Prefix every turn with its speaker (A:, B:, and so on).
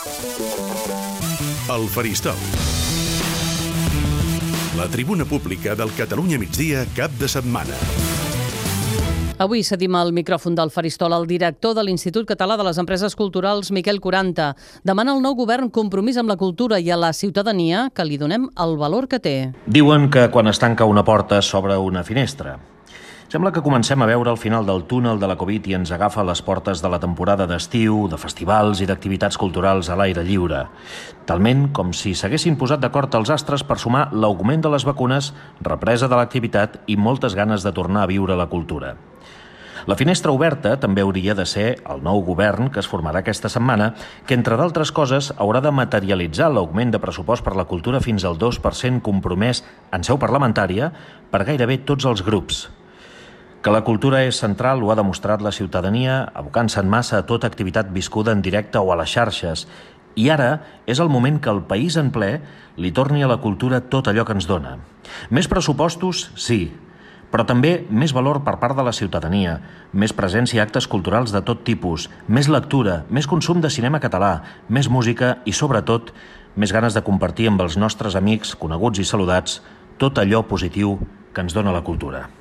A: El Faristol. La tribuna pública del Catalunya Migdia cap de setmana.
B: Avui cedim el micròfon del Faristol al director de l'Institut Català de les Empreses Culturals, Miquel Curanta. Demana al nou govern compromís amb la cultura i a la ciutadania que li donem el valor que té.
C: Diuen que quan es tanca una porta s'obre una finestra. Sembla que comencem a veure el final del túnel de la Covid i ens agafa a les portes de la temporada d'estiu, de festivals i d'activitats culturals a l'aire lliure. Talment com si s'haguessin posat d'acord els astres per sumar l'augment de les vacunes, represa de l'activitat i moltes ganes de tornar a viure la cultura. La finestra oberta també hauria de ser el nou govern que es formarà aquesta setmana, que, entre d'altres coses, haurà de materialitzar l'augment de pressupost per la cultura fins al 2% compromès en seu parlamentària per gairebé tots els grups. Que la cultura és central ho ha demostrat la ciutadania, abocant-se en massa a tota activitat viscuda en directe o a les xarxes. I ara és el moment que el país en ple li torni a la cultura tot allò que ens dona. Més pressupostos, sí, però també més valor per part de la ciutadania, més presència a actes culturals de tot tipus, més lectura, més consum de cinema català, més música i, sobretot, més ganes de compartir amb els nostres amics, coneguts i saludats tot allò positiu que ens dona la cultura.